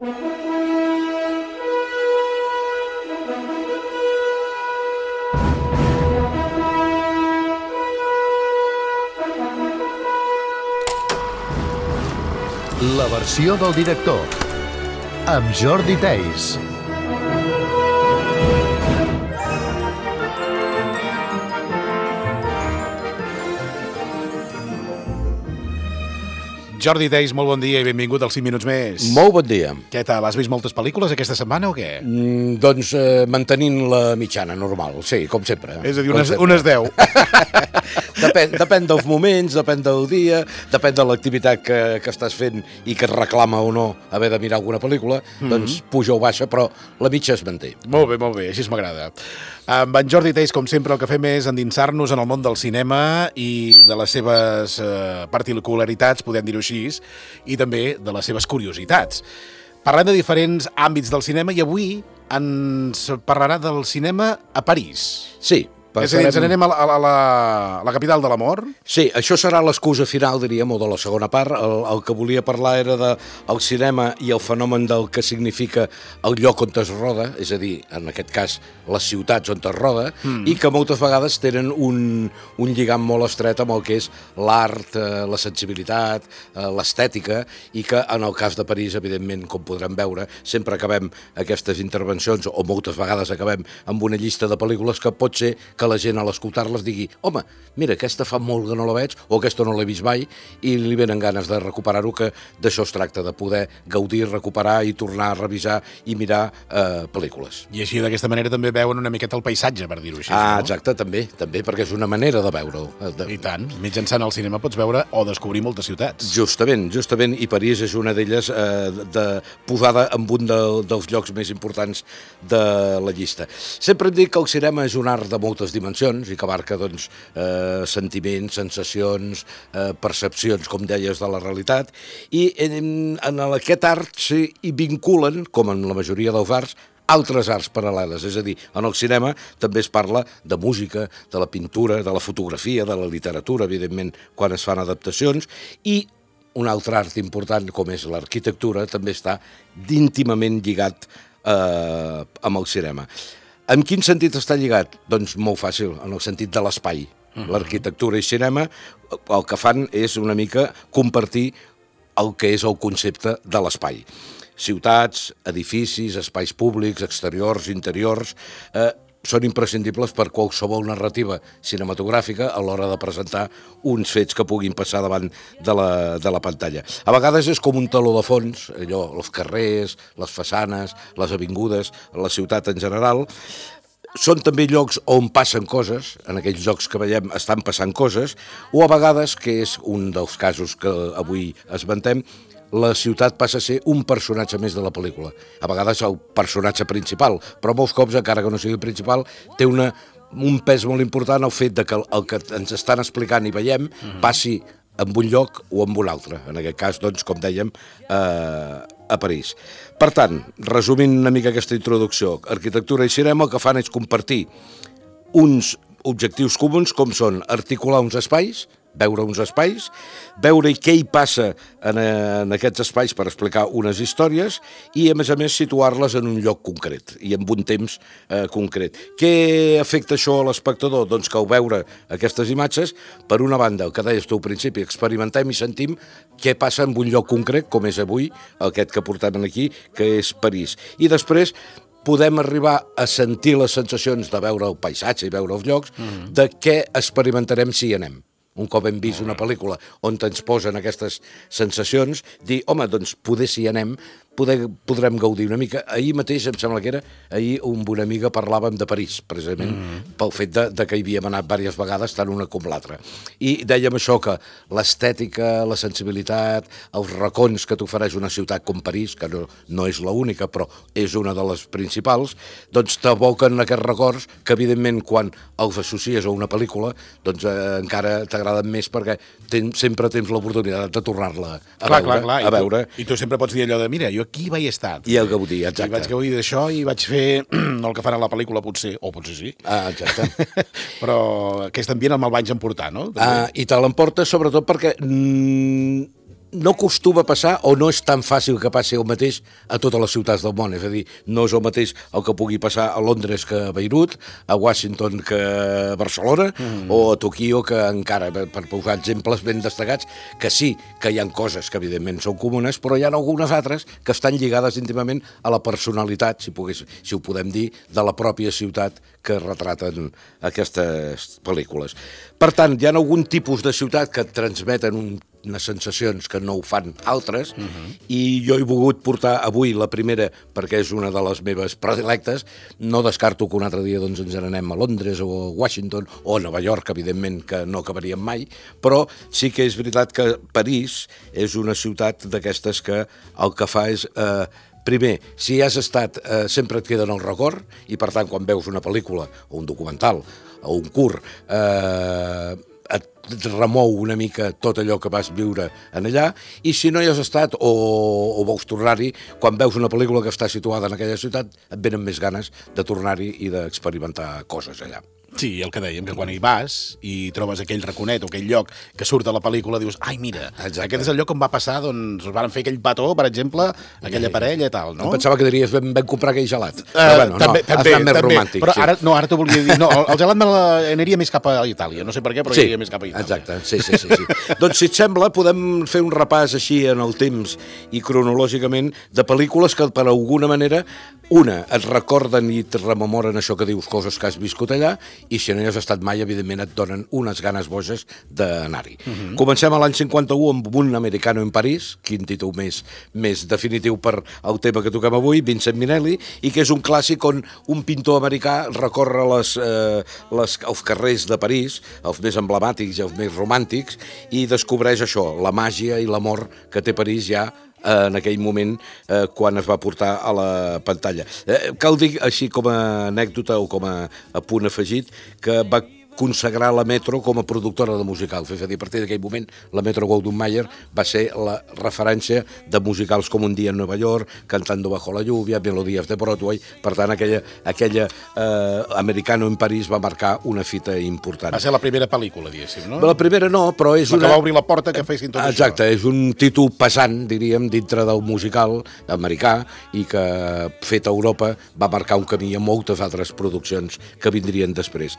La versió del director, amb Jordi Theis. Jordi Theis, molt bon dia i benvingut als 5 minuts més. Molt bon dia. Què tal? Has vist moltes pel·lícules aquesta setmana o què? Doncs mantenint la mitjana normal, sí, com sempre. És a dir, unes 10. Depèn dels moments, depèn del dia, depèn de l'activitat que estàs fent i que et reclama o no haver de mirar alguna pel·lícula, doncs puja o baixa, però la mitja es manté. Molt bé, així m'agrada. Amb en Jordi Theis, com sempre, el que fem és endinsar-nos en el món del cinema i de les seves particularitats, podem dir-ho així, i també de les seves curiositats. Parlem de diferents àmbits del cinema i avui ens parlarà del cinema a París. Sí. És a dir, ens anem a la capital de l'amor? Sí, això serà l'excusa final, diríem, o de la segona part. El que volia parlar era del cinema i el fenomen del que significa el lloc on es roda, és a dir, en aquest cas, les ciutats on es roda, i que moltes vegades tenen un lligam molt estret amb el que és l'art, la sensibilitat, l'estètica, i que en el cas de París, evidentment, com podrem veure, sempre acabem aquestes intervencions, o moltes vegades acabem amb una llista de pel·lícules que pot ser que la gent a l'escoltar-les digui home, mira, aquesta fa molt que no la veig o aquesta no l'he vist mai i li venen ganes de recuperar-ho, que d'això es tracta, de poder gaudir, recuperar i tornar a revisar i mirar pel·lícules. I així d'aquesta manera també veuen una miqueta el paisatge, per dir-ho així. No? Exacte, també, perquè és una manera de veure-ho. I tant, mitjançant el cinema pots veure o descobrir moltes ciutats. Justament, i París és una d'elles posada en un dels llocs més importants de la llista. Sempre em dic que el cinema és un art de moltes dimensions i que abarca doncs, sentiments, sensacions, percepcions, com deies, de la realitat, i en aquest art s'hi vinculen, com en la majoria dels arts, altres arts paral·leles, és a dir, en el cinema també es parla de música, de la pintura, de la fotografia, de la literatura, evidentment, quan es fan adaptacions, i un altre art important, com és l'arquitectura, també està íntimament lligat amb el cinema. En quin sentit està lligat? Doncs molt fàcil, en el sentit de l'espai. L'arquitectura i cinema el que fan és una mica compartir el que és el concepte de l'espai. Ciutats, edificis, espais públics, exteriors, interiors, són imprescindibles per qualsevol narrativa cinematogràfica a l'hora de presentar uns fets que puguin passar davant de la pantalla. A vegades és com un teló de fons, allò, els carrers, les façanes, les avingudes, la ciutat en general. Són també llocs on passen coses, en aquells llocs que veiem estan passant coses, o a vegades, que és un dels casos que avui esmentem, la ciutat passa a ser un personatge més de la pel·lícula. A vegades el personatge principal, però molts cops, encara que no sigui el principal, té un pes molt important el fet de que el que ens estan explicant i veiem passi en un lloc o en un altre. En aquest cas, doncs, com dèiem, a París. Per tant, resumint una mica aquesta introducció, arquitectura i cinema el que fan és compartir uns objectius comuns, com són articular uns espais, veure uns espais, veure què hi passa en aquests espais per explicar unes històries i, a més, situar-les en un lloc concret i en un temps concret. Què afecta això a l'espectador? Doncs que al veure aquestes imatges, per una banda, el que deies tu al principi, experimentem i sentim què passa en un lloc concret, com és avui aquest que portem aquí, que és París. I després podem arribar a sentir les sensacions de veure el paisatge i veure els llocs, de què experimentarem si hi anem. Un cop hem vist una pel·lícula on ens posen aquestes sensacions, dir, home, doncs poder si hi anem, podrem gaudir una mica. Ahir mateix, em sembla que era, ahir amb una amiga parlàvem de París, precisament, pel fet de que hi havíem anat diverses vegades, tant una com l'altra. I dèiem això, que l'estètica, la sensibilitat, els racons que t'ofereix una ciutat com París, que no és l'única, però és una de les principals, doncs t'evoquen aquests records que, evidentment, quan els associes a una pel·lícula, doncs encara t'agraden més perquè sempre tens l'oportunitat de tornar-la a veure. I tu sempre pots dir allò de, mira, jo aquí vaig estar. I el gaudir, exacte. I vaig gaudir d'això i vaig fer el que fan a la pel·lícula, potser, o potser sí. Exacte. Però aquest ambient me'l vaig emportar, no? I te l'emportes sobretot perquè no acostuma a passar o no és tan fàcil que passi el mateix a totes les ciutats del món. És a dir, no és el mateix el que pugui passar a Londres que a Beirut, a Washington que a Barcelona o a Tokyo, que encara, per posar exemples ben destacats, que sí que hi ha coses que evidentment són comunes, però hi ha algunes altres que estan lligades íntimament a la personalitat, si ho podem dir, de la pròpia ciutat que retraten aquestes pel·lícules. Per tant, hi ha algun tipus de ciutat que transmeten unes sensacions que no ho fan altres, i jo he volgut portar avui la primera perquè és una de les meves predilectes. No descarto que un altre dia doncs, ens n'anem a Londres o a Washington o a Nova York, evidentment, que no acabaríem mai, però sí que és veritat que París és una ciutat d'aquestes que el que fa és... Primer, si has estat, sempre et queda en el record, i per tant, quan veus una pel·lícula o un documental o un curt, et remou una mica tot allò que vas viure en allà, i si no hi has estat o vols tornar-hi, quan veus una pel·lícula que està situada en aquella ciutat, et venen més ganes de tornar-hi i d'experimentar coses allà. Sí, el que dèiem, que quan hi vas i trobes aquell raconet o aquell lloc que surt a la pel·lícula, dius, ai, mira, aquest és el lloc on va passar, doncs, van fer aquell petó, per exemple, aquella parella i tal, no? Em pensava que diries, vam comprar aquell gelat. Però bueno, també, has anat més romàntic. Però ara t'ho volia dir, no, el gelat aniria més cap a Itàlia, no sé per què, però aniria més cap a Itàlia. Exacte, sí. Doncs, si et sembla, podem fer un repàs així en el temps i cronològicament de pel·lícules que, per alguna manera, una, et recorden i et rememoren això que dius, coses que has viscut allà, i si no hi has estat mai, evidentment, et donen unes ganes boges d'anar-hi. Comencem a l'any 51 amb Un americano en París, quin títol més definitiu per al tema que toquem avui, Vincent Minnelli, i que és un clàssic on un pintor americà recorre els carrers de París, els més emblemàtics i els més romàntics, i descobreix això, la màgia i l'amor que té París ja en aquell moment quan es va portar a la pantalla. Cal dir, així com a anècdota o com a punt afegit, que va consagrar la Metro com a productora de musicals. És a dir, a partir d'aquell moment, la Metro-Goldwyn-Mayer va ser la referència de musicals com Un dia en Nova York, Cantando bajo la lluvia, Melodías de Broadway. Per tant, aquella Americano en París va marcar una fita important. Va ser la primera pel·lícula, diguéssim, no? La primera no, però és una... que va obrir la porta que fessin tot això. Exacte, és un títol pesant, diríem, dintre del musical americà, i que, fet a Europa, va marcar un camí a moltes altres produccions que vindrien després.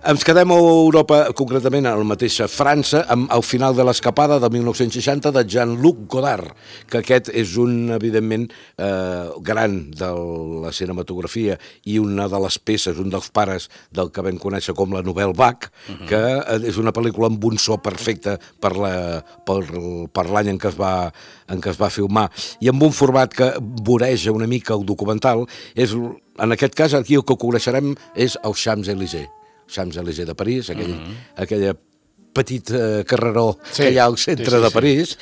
Ens quedem a Europa, concretament a la mateixa França, amb El final de l'escapada de 1960 de Jean-Luc Godard, que aquest és un, evidentment, gran de la cinematografia i una de les peces, un dels pares del que vam conèixer com la Nouvelle Vague, que és una pel·lícula amb un so perfecte per l'any en què es va filmar, i amb un format que voreja una mica el documental. En aquest cas, aquí el que coneixerem és el Champs-Élysées de París, aquella petit carreró que hi ha al centre de París,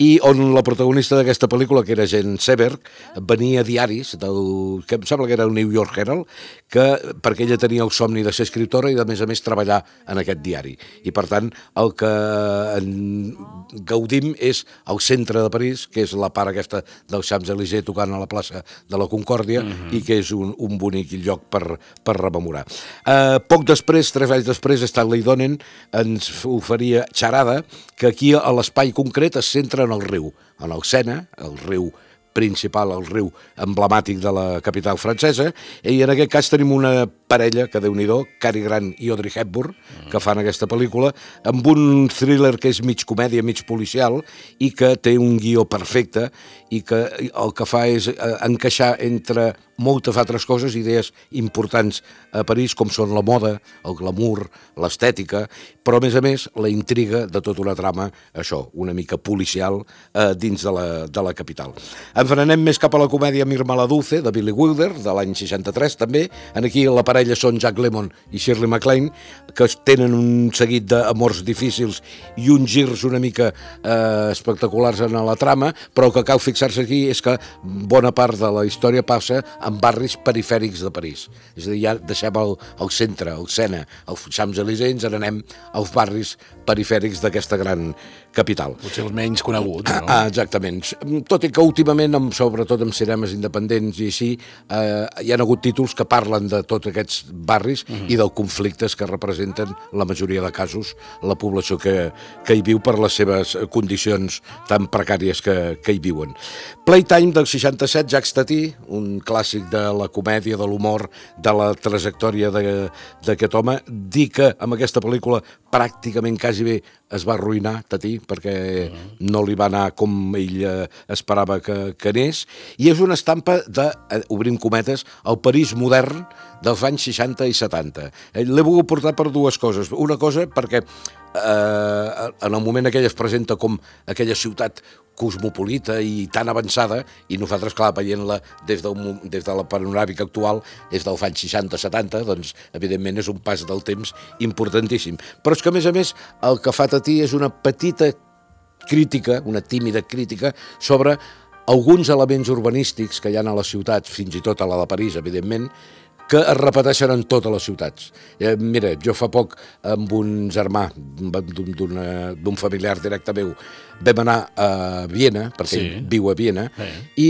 i on la protagonista d'aquesta pel·lícula, que era Jean Seberg, venia a diaris que em sembla que era el New York Herald, perquè ella tenia el somni de ser escriptora i, a més, treballar en aquest diari. I, per tant, el que gaudim és el centre de París, que és la part aquesta del Champs-Élysées tocant a la plaça de la Concòrdia, i que és un bonic lloc per rememorar. Poc després, 3 anys després, Stanley Donen ens oferia Charada, que aquí a l'espai concret es centra en el riu, en el Sena, el riu principal, el riu emblemàtic de la capital francesa, i en aquest cas tenim una parella, que Déu-n'hi-do, Cary Grant i Audrey Hepburn, que fan aquesta pel·lícula, amb un thriller que és mig comèdia, mig policial, i que té un guió perfecte, i que el que fa és encaixar entre moltes altres coses, idees importants a París, com són la moda, el glamour, l'estètica, però, a més, la intriga de tota una trama, això, una mica policial, dins de la capital. Ens anem més cap a la comèdia Mirma la Dulce, de Billy Wilder, de l'any 63, també. Aquí la parella són Jack Lemmon i Shirley MacLaine, que tenen un seguit d'amors difícils i uns girs una mica espectaculars en la trama, però el que cal fixar-se aquí és que bona part de la història passa en barris perifèrics de París. És a dir, ja deixem el centre, el Sena, els Champs-Élysées, ens n'anem als barris perifèrics d'aquesta gran capital. Potser els menys coneguts, no? Exactament. Tot i que últimament, sobretot amb cinemes independents i així, hi ha hagut títols que parlen de tots aquests barris i dels conflictes que representen la majoria de casos la població que hi viu per les seves condicions tan precàries que hi viuen. Playtime del 67, Jacques Tati, un clàssic de la comèdia, de l'humor, de la trajectòria d'aquest home. Dir que amb aquesta pel·lícula pràcticament quasi bé es va arruïnar Tati perquè no li va anar com ell esperava que anés, i és una estampa de, obrim cometes, el París modern dels anys 60 i 70. L'he volgut portar per dues coses. Una cosa perquè en el moment aquell es presenta com aquella ciutat cosmopolita i tan avançada, i nosaltres, clar, veient-la des de la panoràmica actual, és dels anys 60-70, doncs, evidentment, és un pas del temps importantíssim. Però és que, a més, el que fa Tati és una petita crítica, una tímida crítica, sobre alguns elements urbanístics que hi ha a les ciutats, fins i tot a la de París, evidentment, que es repeteixen en totes les ciutats. Mira, jo fa poc amb un germà d'un familiar directe meu vam anar a Viena, perquè ell viu a Viena, i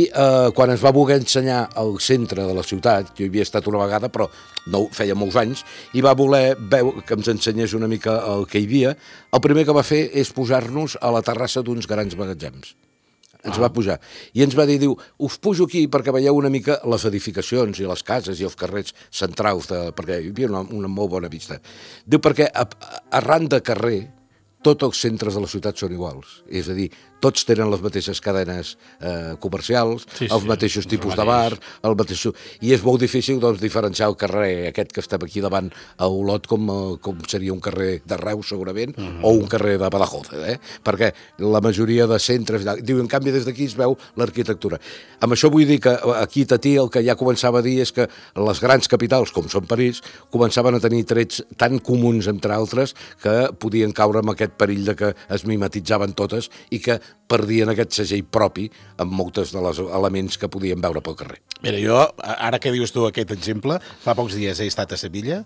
quan ens va voler ensenyar el centre de la ciutat, jo hi havia estat una vegada, però no feia molts anys, i va voler que ens ensenyés una mica el que hi havia, el primer que va fer és posar-nos a la terrassa d'uns grans magatzems. Ens va pujar. I ens va dir, diu, us pujo aquí perquè veieu una mica les edificacions i les cases i els carrers centrals, perquè hi havia una molt bona vista. Diu, perquè arran de carrer, tots els centres de la ciutat són iguals. És a dir, tots tenen les mateixes cadenes comercials, els mateixos tipus de bar, i és molt difícil doncs, diferenciar el carrer aquest que estem aquí davant a Olot com seria un carrer de Reus, segurament, o un carrer de Badajoz, perquè la majoria de centres... Diu, en canvi, des d'aquí es veu l'arquitectura. Amb això vull dir que aquí Tati el que ja començava a dir és que les grans capitals, com són París, començaven a tenir trets tan comuns, entre altres, que podien caure amb aquest perill de que es mimetitzaven totes i que perdien aquest segell propi amb moltes de les elements que podien veure pel carrer. Mira, jo, ara que dius tu aquest exemple, fa pocs dies he estat a Sevilla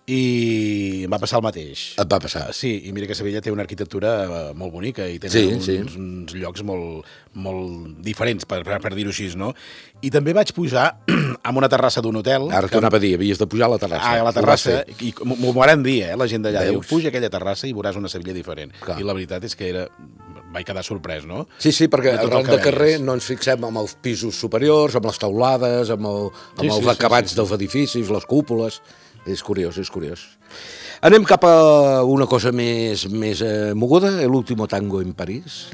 i em va passar el mateix. Et va passar? Sí, i mira que Sevilla té una arquitectura molt bonica i tenen uns llocs molt diferents, per dir-ho així, no? I també vaig pujar a una terrassa d'un hotel... Ara t'ho anava a dir, havies de pujar a la terrassa. A la terrassa, i m'ho van dir, la gent d'allà. Diu, puja a aquella terrassa i veuràs una Sevilla diferent. I la veritat és que vaig quedar sorprès, no? Sí, perquè arran de carrer no ens fixem en els pisos superiors, amb les teulades, amb els acabats dels edificis, les cúpules... És curiós, és curiós. Anem cap a una cosa més moguda, l'último tango en París.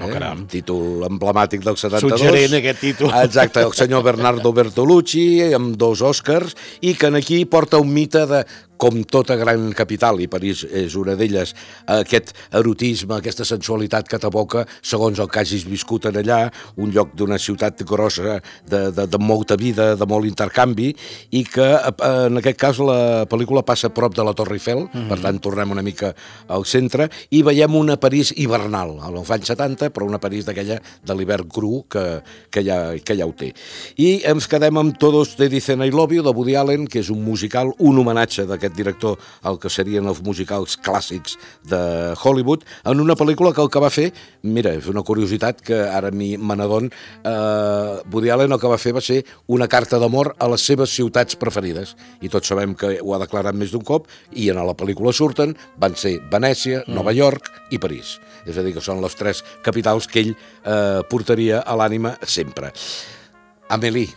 Títol emblemàtic del 72. Suggerent aquest títol. Exacte, el senyor Bernardo Bertolucci, amb 2 Oscars, i que aquí porta un mite de, com tota gran capital, i París és una d'elles, aquest erotisme, aquesta sensualitat que t'aboca segons el que hagis viscut en allà, un lloc d'una ciutat grossa, de molta vida, de molt intercanvi, i que en aquest cas la pel·lícula passa a prop de la Torre Eiffel, per tant tornem una mica al centre, i veiem una París hivernal, als anys 70, però una París d'aquella de l'hivern cru que ja ho té. I ens quedem amb Todos te dicen I love you, de Woody Allen, que és un musical, un homenatge d'aquest director al que serien els musicals clàssics de Hollywood, en una pel·lícula que el que va fer, mira, és una curiositat que ara me n'adon, Woody Allen el que va fer va ser una carta d'amor a les seves ciutats preferides, i tots sabem que ho ha declarat més d'un cop, i en la pel·lícula surten, van ser Venècia, Nova York i París. És a dir, que són les 3 capitals que ell portaria a l'ànima sempre. Amélie.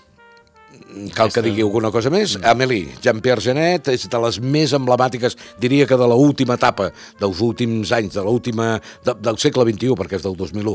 Cal que digui alguna cosa més? Amélie, Jean-Pierre Jeunet, és de les més emblemàtiques, diria que de l'última etapa, dels últims anys, del segle XXI, perquè és del 2001.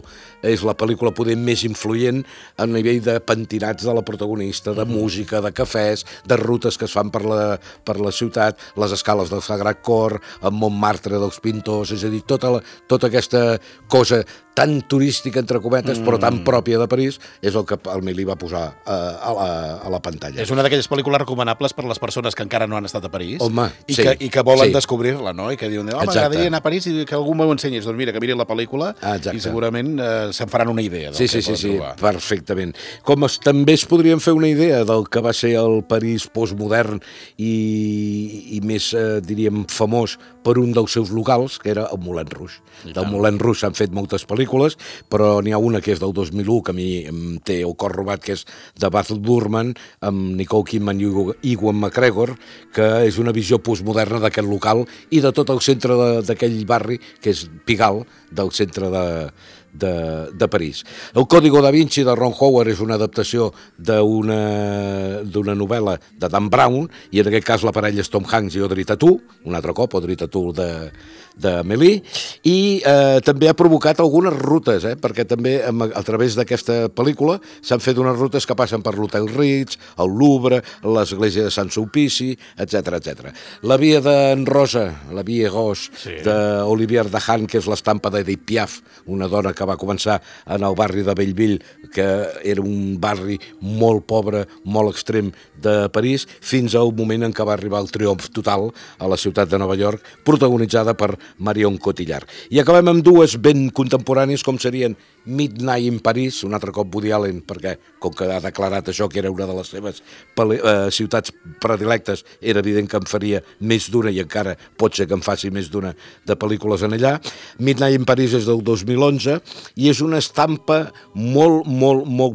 És la pel·lícula poder més influent a nivell de pentinats de la protagonista, de música, de cafès, de rutes que es fan per la ciutat, les escales del Sagrat Cor, el Montmartre dels pintors, és a dir, tota aquesta cosa tan turística, entre cometes, però tan pròpia de París, és el que Amélie va posar a a la pantalla. És una d'aquelles pel·lícules recomanables per a les persones que encara no han estat a París. Home, i sí, que volen sí. descobrir-la, no? I que diuen, Exacte. m'agradaria anar a París i que algú m'ho ensenyés. Doncs mira, que mirin la pel·lícula i segurament se'n faran una idea del que poden trobar. Perfectament. Com també es podrien fer una idea del que va ser el París postmodern i més, diríem, famós per un dels seus locals, que era el Moulin Rouge. Del Moulin Rouge s'han fet moltes pel·lícules, però n'hi ha una que és del 2001, que a mi em té el cor robat, que és de Baz Luhrmann, amb Nicole Kidman i Ewan McGregor, que és una visió postmoderna d'aquest local i de tot el centre d'aquell barri, que és Pigalle, del centre de París. El Código da Vinci de Ron Howard és una adaptació d'una novel·la de Dan Brown, i en aquest cas la parella és Tom Hanks i Audrey Tautou, un altre cop, Audrey Tautou d'Amélie, i també ha provocat algunes rutes, perquè també a través d'aquesta pel·lícula s'han fet unes rutes que passen per l'Hotel Ritz, el Louvre, l'església de Sant Sulpici, etc. La via d'en Rosa, la via Rose, d'Olivier Dahan, que és l'estampa d'Edith Piaf, una dona que va començar en el barri de Belleville, que era un barri molt pobre, molt extrem de París, fins al moment en què va arribar el triomf total a la ciutat de Nova York, protagonitzada per Marion Cotillard. I acabem amb dues ben contemporànies, com serien Midnight in Paris, un altre cop Woody Allen, perquè com que ha declarat això que era una de les seves ciutats predilectes, era evident que en faria més d'una, i encara pot ser que en faci més d'una de pel·lícules en allà. Midnight in Paris és del 2011 i és una estampa molt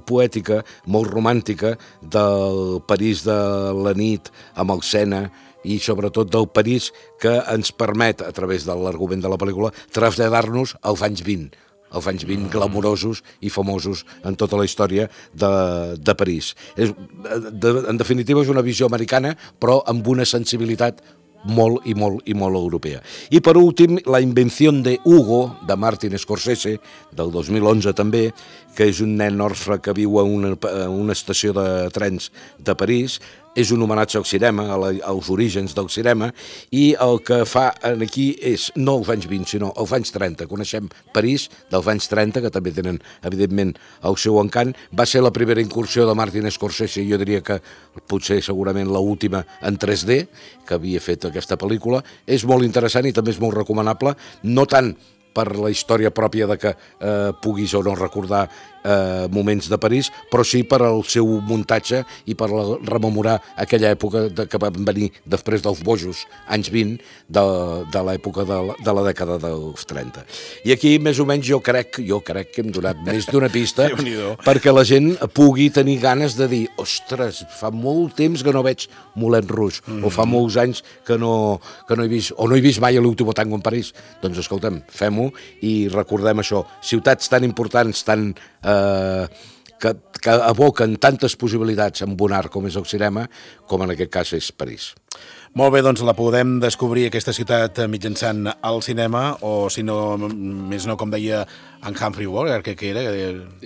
poètica, molt romàntica del París de la nit amb el Sena, i sobretot del París que ens permet, a través de l'argument de la pel·lícula, traslladar-nos als anys 20, els anys 20 glamurosos i famosos en tota la història de París. En definitiva, és una visió americana, però amb una sensibilitat molt europea. I per últim, La invención de Hugo, de Martin Scorsese, del 2011 també, que és un nen orfe que viu a una estació de trens de París. És un homenatge al cinema, als orígens del cinema, i el que fa aquí és no els anys 20, sinó els anys 30. Coneixem París dels anys 30, que també tenen, evidentment, el seu encant. Va ser la primera incursió de Martin Scorsese, jo diria que potser segurament l'última en 3D, que havia fet aquesta pel·lícula. És molt interessant i també és molt recomanable, no tant per la història pròpia de que puguis o no recordar moments de París, però sí per al seu muntatge i per rememorar aquella època que van venir després dels bojos anys 20 de l'època de la dècada dels 30. I aquí, més o menys, jo crec que hem donat més d'una pista perquè la gent pugui tenir ganes de dir, ostres, fa molt temps que no veig Moulin Rouge, o fa molts anys que no he vist, o no he vist mai l'últim tango en París. Doncs escolta'm, fem-ho i recordem això. Ciutats tan importants, tan que evoquen tantes possibilitats amb un art com és el cinema, com en aquest cas és París. Molt bé, doncs la podem descobrir, aquesta ciutat, mitjançant el cinema, o si no, més no, com deia en Humphrey Bogart, que era...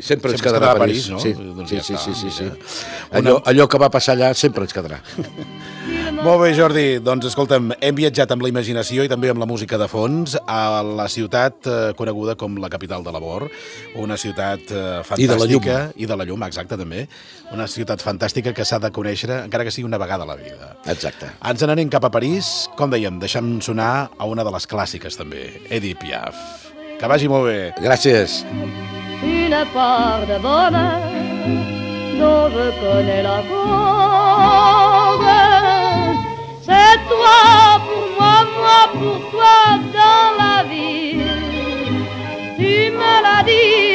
Sempre ens quedarà a París, no? Sí. Allò que va passar allà sempre ens quedarà. Molt bé, Jordi, doncs escolta'm, hem viatjat amb la imaginació i també amb la música de fons a la ciutat coneguda com la capital de l'amor, una ciutat fantàstica... I de la llum. I de la llum, exacte, també. Una ciutat fantàstica que s'ha de conèixer, encara que sigui una vegada a la vida. Exacte. Ens n'anem cap a París, com dèiem, deixem sonar a una de les clàssiques també, Edith Piaf. Que vagi molt bé. Gràcies. Une part de bonheur dont je connais la cause. C'est toi pour moi, moi pour toi dans la vie. Tu me l'as dit.